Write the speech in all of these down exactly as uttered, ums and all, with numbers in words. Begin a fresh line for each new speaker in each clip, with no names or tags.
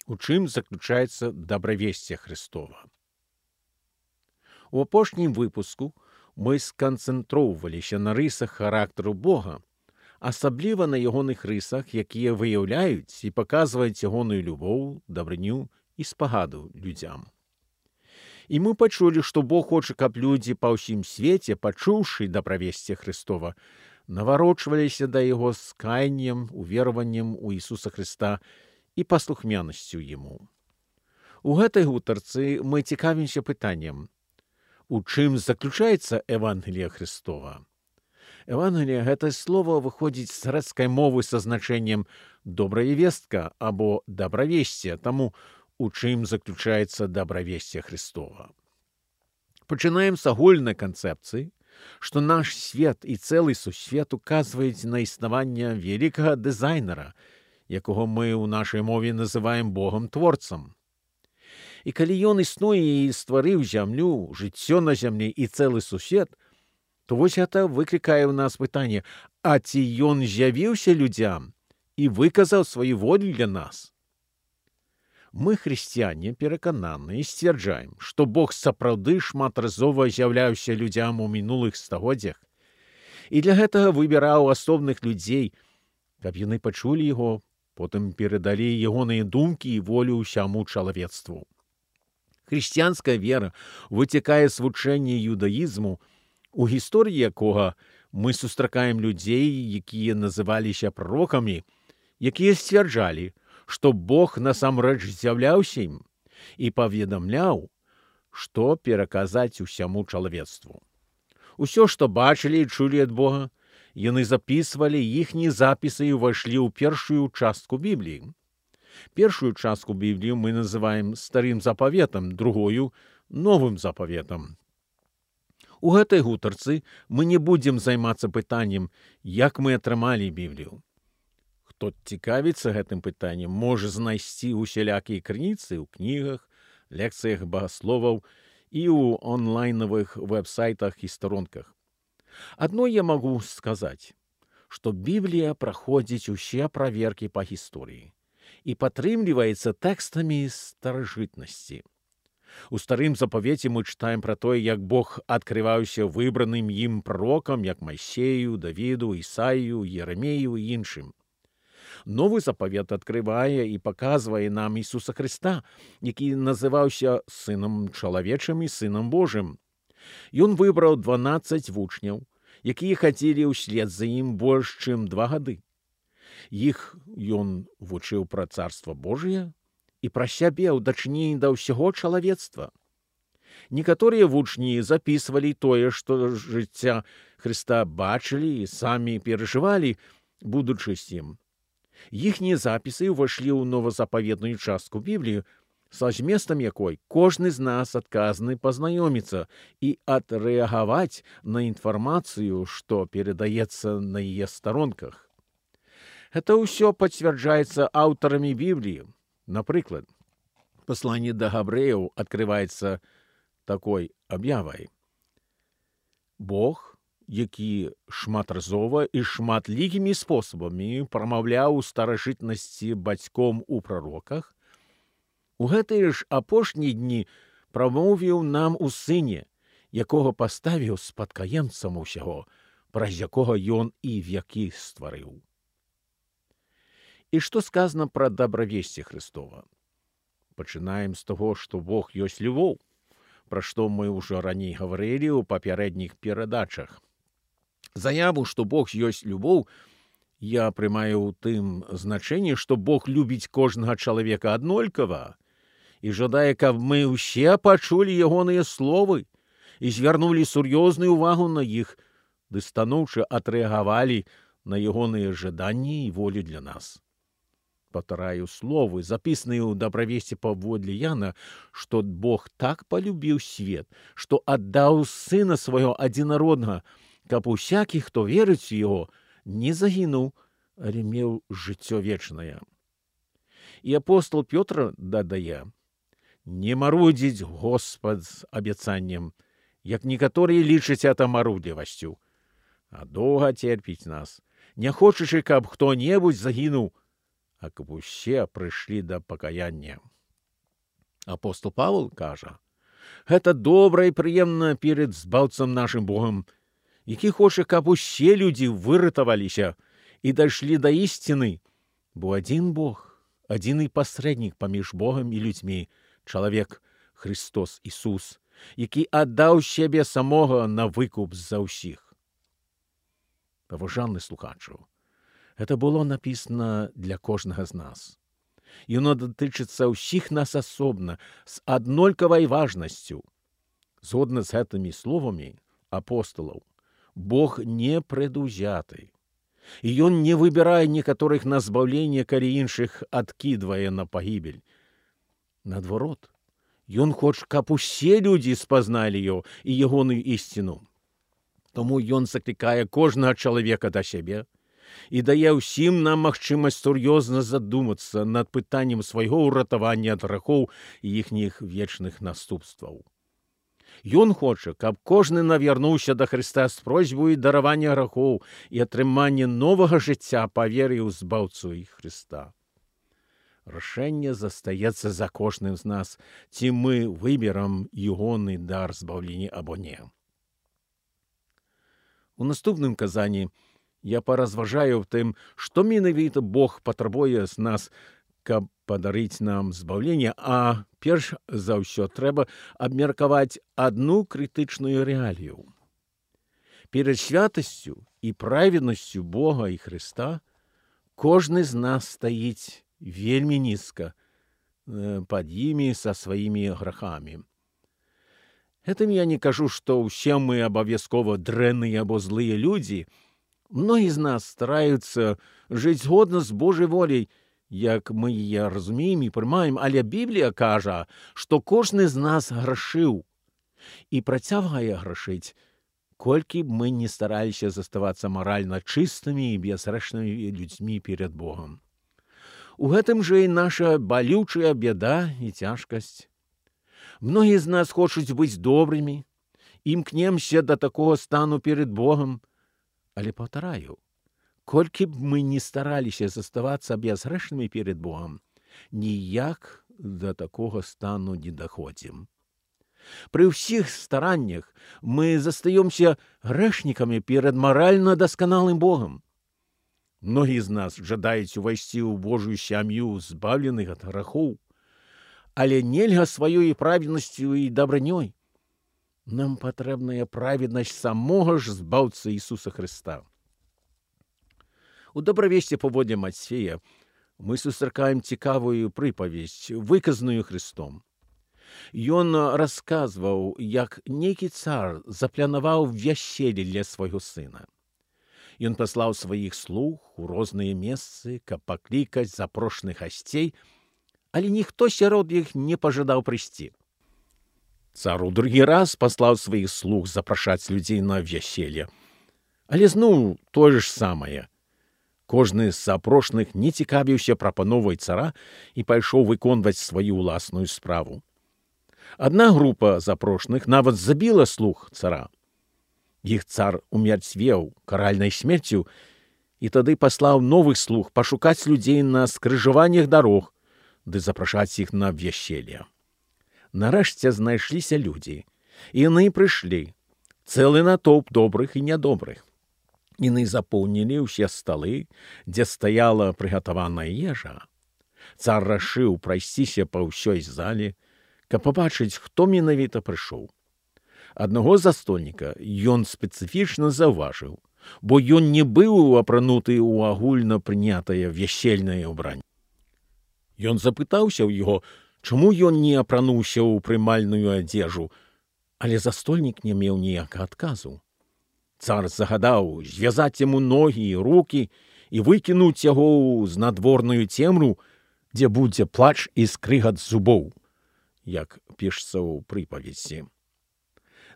У чым заключаецца дабравесце Христова? У апошнім выпуску мы сканцэнтроўваліся на рысах характару Бога, асабліва на ягоных рысах, якія выяўляюць і паказваюць ягоную любоў, дабрыню і спагаду людзям. І мы пачулі, што Бог хоча, каб людзі па ўсім свеце, пачуўшы дабравесце Христова, наварочваліся да яго з каяннем, увераваннем у Ісуса Христа і паслухмянасцю Яму. У гэтай гутарцы мы цікавімся пытаннем: у чым заключаецца Евангелие Христова? Евангелие — гэта слово выходзіць з грэцкай мовы са значэннем «добрая вестка» або «дабравесце», таму у чым заключаецца дабравесце Христова. Пачынаем з агульнай канцэпцыі, што наш свет і цэлы сусвет указваюць на існаванне вялікага дызайнера, якога мы ў нашай мове называем Богам-творцам. І калі ён існуе і стварыў зямлю, жыццё на зямлі і цэлы сусвет, то вось гэта выклікае ў нас пытанне: а ці ён з'явіўся людзям і выказаў сваю волю для нас? Мы, хрысціяне, перакананы і сцвярджаем, што Бог сапраўды шматразова з'яўляўся людзям у мінулых стагоддзях, і для гэтага выбіраў асобных людзей, каб яны пачулі яго, потым перадалі ягоныя думкі і волю ўсяму чалавецтву. Хрысціянская вера выцякае з вучэння юдаізму, у гісторыі якога мы сустракаем людзей, якія называліся пророкамі, якія сцвярджалі, што Бог насамрэч з'яўляўся ім і паведамляў, што пераказаць усяму чалавецтву. Усё, што бачылі і чулі ад Бога, яны запісвалі, іхнія запісы ўвайшлі ў першую частку Бібліі. Першую частку Бібліі мы называем Старым запаветам, другую — Новым запаветам. У гэтай гутарцы мы не будзем займацца пытаннем, як мы атрымалі Біблію. Хто цікавіцца гэтым пытаннем, можа знайсці усялякія крыніцы ў кнігах, лекцыях багасловаў і ў онлайнавых вэб-сайтах і старонках. Адно я магу сказаць, што Біблія праходзіць усе праверкі па гісторыі і падтрымліваецца тэкстамі старажытнасці. У Старым запавеце мы чытаем пра тое, як Бог адкрываўся выбраным ім пророкам, як Майсею, Давіду, Ісаію, Ерамею і іншым. Новы запавет адкрывае і паказвае нам Ісуса Христа, які называўся Сынам чалавечым і Сынам Божым. Ён выбраў дванаццаць вучняў, якія хадзілі ўслед за ім больш чым два гады. Іх ён вучыў пра Царства Божие і пра сябе ў дачыненні да ўсяго чалавецтва. Некаторыя вучні запісвалі тое, што жыцця Христа бачылі і самі перажывалі, будучы з ім. Іхнія запісы ўвайшлі ў новазапаветную частку Бібліі, са зместам якой кожны з нас адказаны пазнаёміцца і адрэагаваць на інфармацыю, што перадаецца на яе старонках. Гэта ўсё пацвярджаецца аўтарамі Бібліі. Напрыклад, пасланне да габрэяў адкрываецца такой аб'явай: Бог, які шматразова і шматлікімі спосабамі прамаўляў у старажытнасці бацьком у прароках, у гэтыя ж апошнія дні прамовіў нам у Сыне, якога паставіў спадкаемцам усяго, праз якога ён і вякі стварыў. І што сказана пра дабравесце Христова? Пачынаем з таго, што Бог ёсць любоў, пра што мы ўжо раней гаварылі ў папярэдніх перадачах. Заяву, што Бог ёсць любоў, я прымаю ў тым значэнні, што Бог любіць кожнага чалавека аднолькава і жадае, каб мы ўсе пачулі ягоныя словы і звярнулі сур'ёзную ўвагу на іх, ды станоўча адрэагавалі на ягоныя жаданні і волю для нас. Паўтараю словы, запісаныя ў дабравесці паводле Яна, што Бог так палюбіў свет, што аддаў Сына свайго адзінароднага, каб усякі, хто верыць у яго, не загінуў, але меў жыццё вечнае. І апостол Пётр дадае: не марудзіць Господ з абяцаннем, як некаторыя лічаць это марудзлівасцю, а доўга церпіць нас, не хочучы, каб хто-небудзь загінуў, а каб усе прыйшлі да пакаяння. Апостол Павел кажа, гэта добра і прыемна перад збаўцам нашым Богам, які хоча, каб усе людзі выратаваліся і дайшлі да ісціны, бо адзін Бог, адзіны пасрэднік паміж Богам і людзьмі, чалавек Христос Ісус, які аддаў сябе самога на выкуп за ўсіх. Паважаны слухачу, гэта было напісана для кожнага з нас. Яно датычыцца ўсіх нас асобна, з аднолькавай важнасцю. Згодна з гэтымі словамі апосталаў, Бог не прадузяты. І ён не выбірае некаторых на збаўленне, калі іншых адкідвае на пагібель. Наадварот, ён хоча, каб усе людзі спазналі яго і ягоную ісціну. Таму ён заклікае кожнага чалавека да сябе і дае ўсім нам магчымасць сур'ёзна задумацца над пытаннем свайго ўратавання ад грахоў і іхніх вечных наступстваў. Ён хоча, каб кожны навярнуўся да Хрыста з просьбай даравання грахоў і атрымання новага жыцця па веры ў збаўцу і Хрыста. Рашэнне застаецца за кожным з нас, ці мы выберам ягоны дар збаўлення або не. У наступным казанні я паразважаю в тым, што менавіта Бог патрабуе з нас, каб падарыць нам збаўленне, а перш за ўсё трэба абмеркаваць адну крытычную рэалію. Перад святасцю і праведнасцю Бога і Хрыста кожны з нас стаіць вельмі нізка пад імі са сваімі грахамі. Гэтым я не кажу, што ўсе мы абавязкова дрэнныя або злыя людзі. Многі з нас стараюцца жыць згодна з Божай воляй, як мы яе разумеем і прымаем, але Біблія кажа, што кожны з нас грашыў і працягвае грашыць, колькі б мы не стараліся заставацца маральна чыстымі і бязгрэшнымі людзьмі перад Богам. У гэтым жа і наша балючая бяда і цяжкасць. Многія з нас хочуць быць добрымі, імкнемся да такога стану перад Богам, але паўтараю, колькі б мы не стараліся заставацца бязгрэшнымі перад Богам, ніяк да такога стану не даходзім. Пры ўсіх стараннях мы застаёмся грэшнікамі перад маральна дасканалым Богам. Многія з нас жадаюць увайсці ў Божую сям'ю, збаўленых ад грахоў, але нельга сваёй праведнасцю і дабранёй. Нам патрэбная праведнасць самога ж збаўцы Ісуса Хрыста. У добравесці паводле Мацфея мы сустракаем цікавую прыпавесць, выказаную Хрыстом. Ён расказваў, як нейкі цар запланаваў вяселле для свайго сына. Ён паслаў сваіх слуг у розныя месцы, каб паклікаць запрошаных гасцей, але ніхто сярод іх не пажадаў прыйсці. Цар у другі раз паслаў сваіх слуг запрашаць людзей на вяселле, але зноў тое ж самае. Кожны з запрошаных не цікавіўся прапановай цара і пайшоў выконваць сваю ўласную справу. Адна група запрошаных нават забіла слуг цара. Іх цар умерцвеў каральнай смерцю і тады паслаў новых слуг пашукаць людзей на скрыжаваннях дарог, ды запрашаць іх на вяселле. Нарэшце знайшліся людзі, і яны прыйшлі, цэлы натоўп добрых і нядобрых. Яны запоўнілі ўсе сталы, дзе стаяла прыгатаваная ежа. Цар рашыў прайсціся па ўсёй зале, каб пабачыць, хто менавіта прыйшоў. Аднаго застольніка ён спецыфічна заўважыў, бо ён не быў апрануты ў агульна прынятае вясельнае ўбранне. Ён запытаўся ў яго, чаму ён не апрануўся ў прымальную адзежу, але застольнік не меў ніякага адказу. Цар загадаў звязаць яму ногі і рукі і выкінуць яго з надворную цемру, дзе будзе плач і скрыгат зубоў, як пішецца ў прыпаведзі.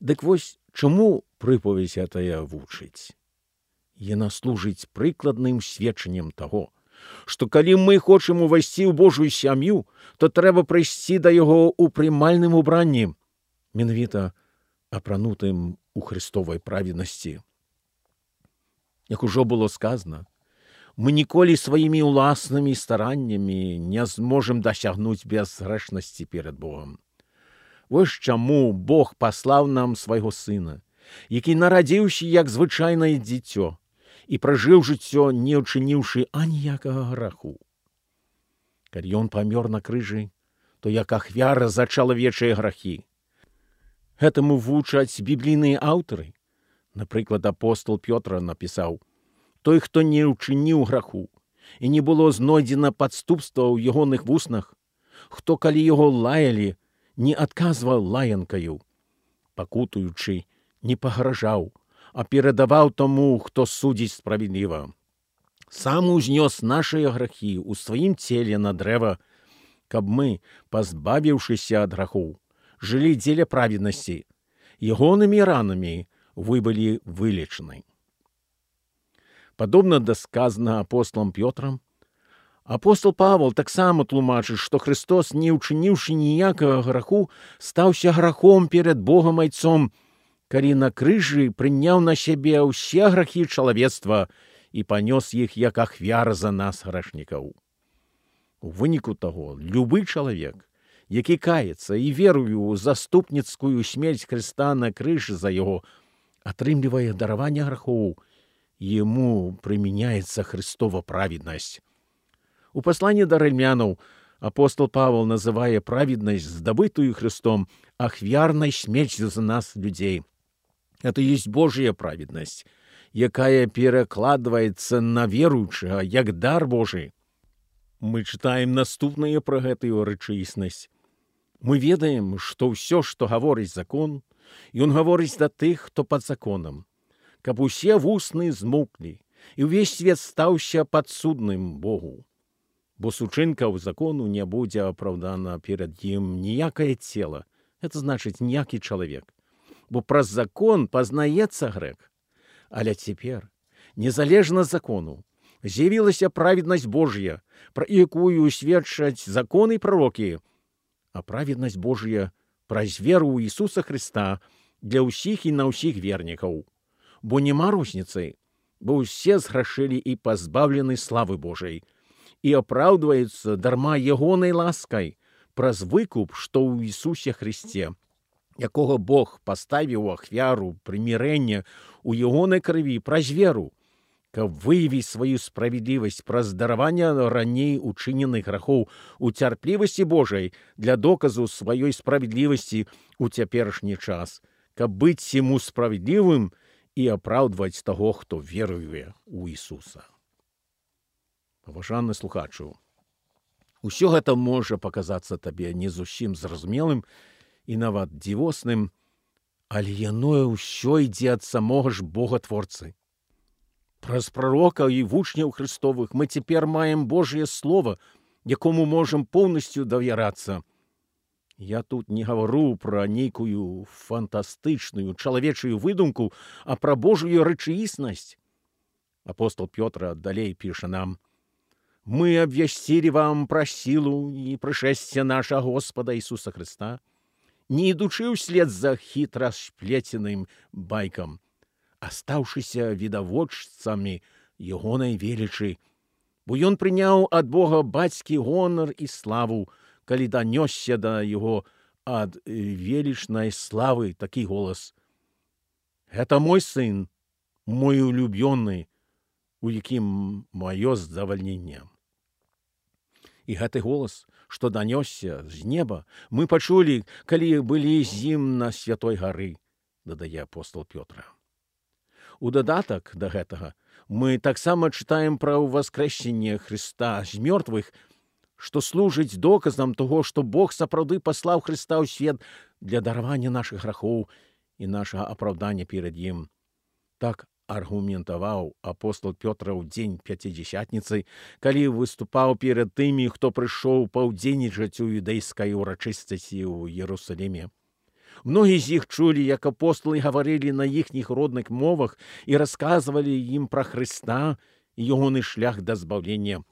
Дык вось, чаму прыпаведзь гэтая вучыць? Яна служыць прыкладным сведчаннем таго, што калі мы хочам увайсці ў Божую сям'ю, то трэба прыйсці да яго ў прымальным убранні, менавіта апранутым у Христовай праведнасці. Як ужо было сказана, Мы ніколі сваімі ўласнымі стараннямі не зможам дасягнуць бязгрэшнасці перад Богом. Вось чаму Бог паслаў нам свайго сына, які нарадзіўся як звычайнае дзіцё і пражыў жыццё, не ўчыніўшы аніякага граху. Калі ён памёр на крыжы, то як ахвяра за чалавечыя грахі. Гэтаму вучаць біблійныя аўтары. Напрыклад, апостол Пётр напісаў: «Той, хто не ўчыніў граху, і не было знойдзена падступства ў ягоных вуснах, хто, калі яго лаялі, не адказваў лаянкаю, пакутуючы, не пагражаў, а перадаваў тому, хто судзіць справядліва. Сам узнёс нашыя грахі ў сваім целе на дрэва, каб мы, пазбавіўшыся ад грахоў, жылі дзеля праведнасці, ягонымі ранамі вы былі вылечаны». Падобна да сказанага апостолам Пётрам, апостол Павел таксама тлумачыць, што Христос, не ўчыніўшы ніякага граху, стаўся грахом перад Богам Айцом, калі на крыжы прыняў на сябе ўсе грахі чалавецтва і панёс іх як ахвяра за нас, грашнікаў. У выніку таго, любы чалавек, які каецца і веруе ў заступніцкую смерць Хрыста на крыжы за яго, атрымлівае дараванне грахоў, ему прымяняецца Христова праведнасць. У пасланні да рымлянаў апостол Павел называе праведнасць, здабытую Христом, ахвярнай смерцю за нас, людзей. Это есть Божья праведнасць, якая перакладваецца на веруючага як дар Божий. Мы чытаем наступнае пра гэтую рэчаіснасць. Мы ведаем, што ўсё, што гаворыць закон, ён гаворыць да тых, хто пад законам, каб усе вусны змоўклі, і ўвесь свет стаўся падсудным Богу. Бо з учынкаў закону не будзе апраўдана перад ім ніякае цела, это значыць ніякі чалавек, бо праз закон пазнаецца грэх. Але цяпер, незалежна закону, з'явілася праведнасць Божья, пра якую сведчаць законы і прарокі, а праведнасць Божья праз веру ў Ісуса Христа для ўсіх і на ўсіх вернікаў. Бо нема розніцы, бо ўсе зграшылі і пазбаўлены славы Божай, і апраўдваюцца дарма ягонай ласкай праз выкуп, што ў Ісусе Христе, якога Бог паставіў ахвяру прымірэння ў ягонай крыві праз веру, каб выявіць сваю справядлівасць праз дараванне раней учыненых грахоў у цярплівасці Божай для доказу сваёй справядлівасці ў цяперашні час, каб быць яму справядлівым і апраўдваць таго, хто веруе ў Ісуса. Паважаны слухачу, усё гэта можа паказацца табе не зусім зразумелым і нават дзівосным, але яно ўсё ідзе ад самога ж Бога-творцы. Праз прарокаў і вучняў Христовых мы цяпер маем Божье Слово, якому можам поўнасцю давярацца. Я тут не гавару пра нейкую фантастычную чалавечую выдумку, а пра Божую рэчаіснасць. Апостол Пётр далей піша нам: «Мы абвясцілі вам пра сілу і прышэсце наша Господа Ісуса Христа, не ідучы ўслед за хітра сплеценым байкам, а стаўшыся відавочцамі ягонай велічы, бо ён прыняў ад Бога бацькі гонар і славу, калі данёсся да яго ад велічнай славы такі голас: «Гэта мой сын, мой улюбённы, у якім маё задавальненне». І гэты голас, што данёсся з неба, мы пачулі, калі былі з ім на святой гары, дадае апостол Пётр. У дадатак да гэтага мы таксама чытаем пра ўваскрэсенне Христа з мёртвых, што служыць доказам таго, што Бог сапраўды паслаў Христа ў свет для даравання нашых грахоў і нашага апраўдання перад ім. Так аргументаваў апостол Пётр ў дзень пяцідзясятніцы, калі выступаў перад тымі, хто прыйшоў паўдзельнічаць у юдэйскай урачыстасці ў Ерусаліме. Многія з іх чулі, як апостолы гаварылі на іхніх родных мовах і расказвалі ім пра Хрыста і ягоны шлях да збаўлення.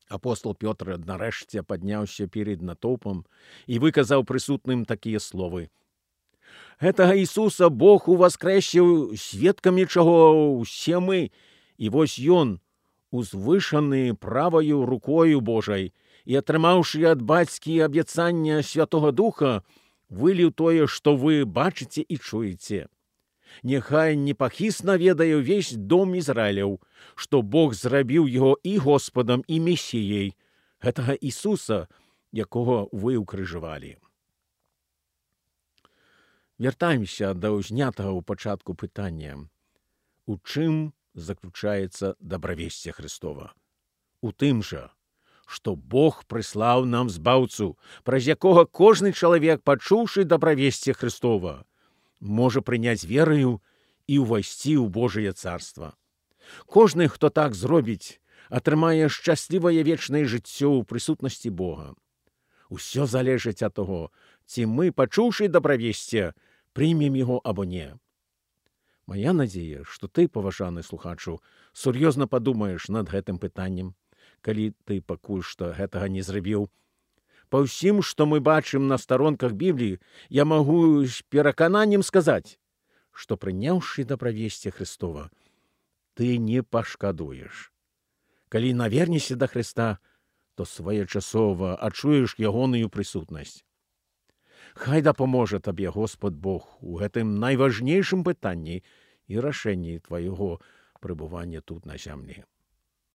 Апостол Пётр нарэшце падняўся перед натоўпам і выказаў прысутным такія словы: «Гэтага Ісуса Бог уваскрэсіў, сведкамі чаго ўсе мы, і вось Ён узвышаны правою рукою Божай і атрымаўшы ад бацькі абяцання Святого Духа, выліў тое, што вы бачыце і чуеце. Няхай непахісна ведае ўвесь дом Ізраіляў, што Бог зрабіў яго і Господам, і Месіяй, гэтага Ісуса, якога вы ўкрыжавалі. Вяртаемся да ўзнятага ў пачатку пытання. У чым заключаецца дабравесце Христова? У тым жа, што Бог прыслаў нам збаўцу, праз якога кожны чалавек, пачуўшы дабравесце Христова, можа прыняць вераю і ўвайсці ў Божае царства. Кожны, хто так зробіць, атрымае шчаслівае вечнае жыццё ў прысутнасці Бога. Усё залежыць ад таго, ці мы, пачуўшы дабравесце, прымем яго або не. Мая надзея, што ты, паважаны слухачу, сур'ёзна падумаеш над гэтым пытаннем, калі ты пакуль што гэтага не зрабіў. Па ўсім, што мы бачым на старонках Бібліі, я магу з перакананнем сказаць, што прыняўшы дабравесце Христова, ты не пашкадуеш. Калі навернешся да Христа, то своечасова адчуеш ягоную прысутнасць. Хай дапаможа табе Господ Бог у гэтым найважнейшым пытанні і рашэнні твайго прыбывання тут на зямлі.